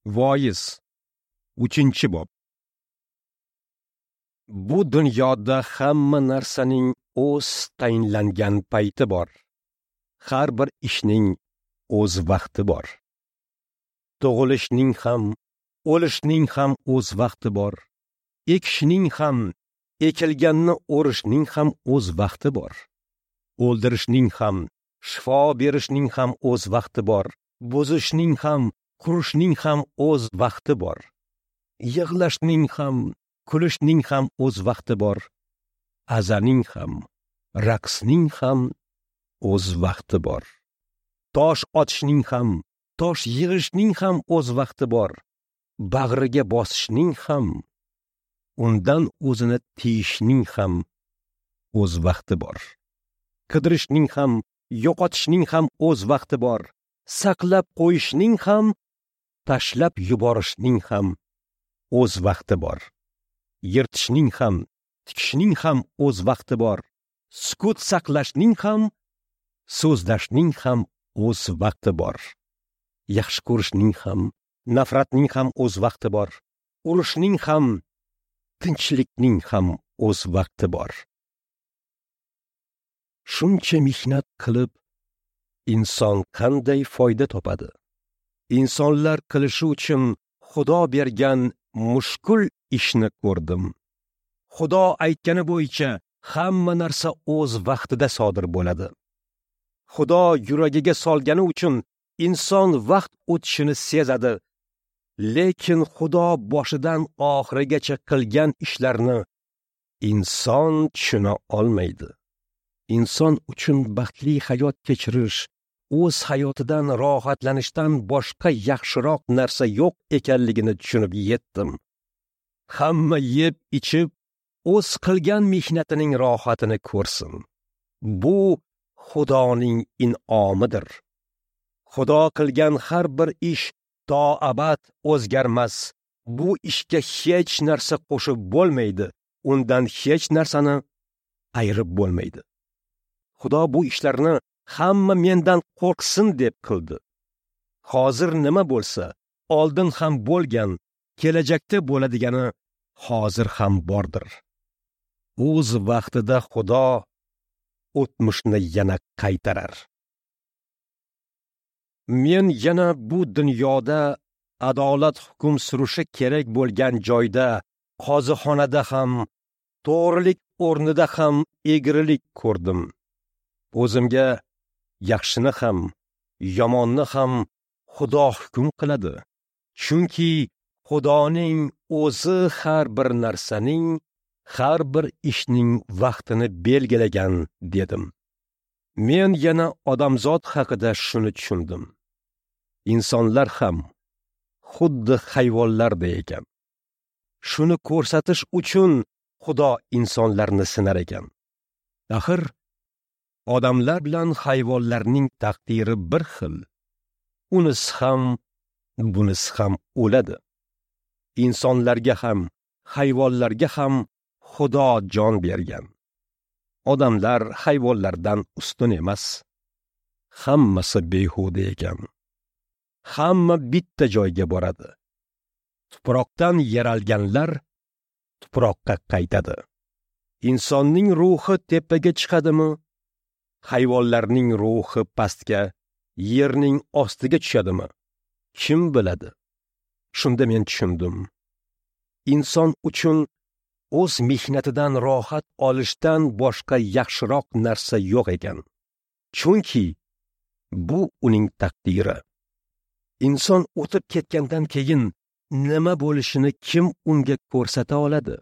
Voiz 3-bob. Bu dunyoda hamma narsaning o'z tayinlangan payti bor. Har bir ishning o'z vaqti bor. Tug'ilishning ham, o'lishning ham o'z vaqti bor. Ekishning ham, ekilganni o'rishning ham o'z vaqti bor. O'ldirishning ham, shifo berishning ham o'z vaqti bor. Buzishning ham, qurishning ham o'z vaqti bor. Yig'lashning ham, kulishning ham o'z vaqti bor. Azaning ham, raqsning ham o'z vaqti bor. Tosh otishning ham, tosh yig'ishning ham o'z vaqti bor. Bag'riga bosishning ham, undan o'zini tiyishning ham o'z vaqti bor. Qidirishning ham, yo'qotishning ham o'z vaqti bor. Saqlab qo'yishning ham, tashlab yuborishning ham o'z vaqti bor. Yirtishning ham, tikishning ham o'z vaqti bor. Sukut saqlashning ham, so'zlashning ham o'z vaqti bor. Yaxshi ko'rishning ham, nafratning ham o'z vaqti bor. Urushning ham, tinchlikning ham o'z vaqti bor. Shuncha mehnat qilib, inson qanday foyda topadi? Insonlar qilishi uchun Xudo bergan mushkul ishni ko'rdim. Xudo aytgani bo'yicha hamma narsa o'z vaqtida sodir bo'ladi. Xudo yuragiga solgani uchun inson vaqt o'tishini sezadi. Lekin Xudo boshidan oxirigacha qilgan ishlarni inson tushuna olmaydi. Inson uchun baxtli hayot kechirish, o'z hayotidan rohatlanishdan boshqa yaxshiroq narsa yo'q ekanligini tushunib yetdim. Hamma yeb ichib, o'z qilgan mehnatining rohatini ko'rsin. Bu Xudoning in'omidir. Xudo qilgan har bir ish to abad o'zgarmas. Bu ishga hech narsa qo'shib bo'lmaydi, undan hech narsani ayirib bo'lmaydi. Xudo bu ishlarni hamma mendan qo'rqsin deb qildi. Hozir nima bo'lsa, oldin ham bo'lgan, kelajakda bo'ladigani hozir ham bordir. O'z vaqtida Xudo o'tmishni yana qaytarar. Men yana bu dunyoda adolat hukm surishi kerak bo'lgan joyda, qozixonada ham, to'g'rilik o'rnida ham egrilik ko'rdim. O'zimga yaxshini ham, yomonni ham Xudo hukm qiladi. Chunki Xudoning o'zi har bir narsaning, har bir ishning vaqtini belgilagan dedim. Men yana odamzod haqida shuni tushundim. Insonlar ham xuddi hayvonlarday ekan. Shuni ko'rsatish uchun Xudo insonlarni sinar ekan. Axir odamlar bilan hayvonlarning taqdiri bir xil. Unisi ham, bunisi ham o'ladi. Insonlarga ham, hayvonlarga ham Xudo jon bergan. Odamlar hayvonlardan ustun emas. Hammasi behuda ekan. Hamma bitta joyga boradi. Tuproqdan yaralganlar tuproqqa qaytadi. Insonning ruhi tepaga chiqadimi? Hayvonlarning ruhi pastga, yerning ostiga tushadimi? Kim biladi? Shunda men tushundim. Inson uchun o'z mehnatidan rohat olishdan boshqa yaxshiroq narsa yo'q ekan. Chunki bu uning taqdiri. Inson o'tib ketgandan keyin nima bo'lishini kim unga ko'rsata oladi?